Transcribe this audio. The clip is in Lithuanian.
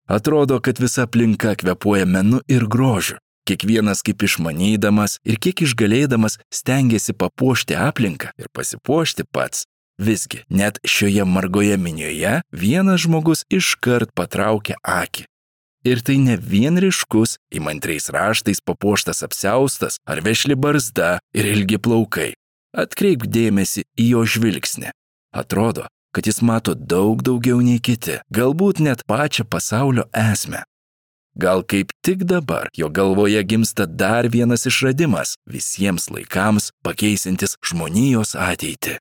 Atrodo, kad visa aplinka kvėpuoja menu ir grožiu. Kiekvienas kaip išmanydamas ir kiek išgalėdamas stengiasi papuošti aplinką ir pasipuošti pats. Visgi, net šioje margoje minioje vienas žmogus iškart patraukia akį. Ir tai ne vien ryškus, įmantriais raštais papuoštas apsiaustas ar vešli barzda ir ilgi plaukai. Atkreipk dėmesį į jo žvilgsnį. Atrodo, kad jis mato daug daugiau nei kiti, galbūt net pačią pasaulio esmę. Gal kaip tik dabar jo galvoje gimsta dar vienas išradimas, visiems laikams pakeisintis žmonijos ateitį.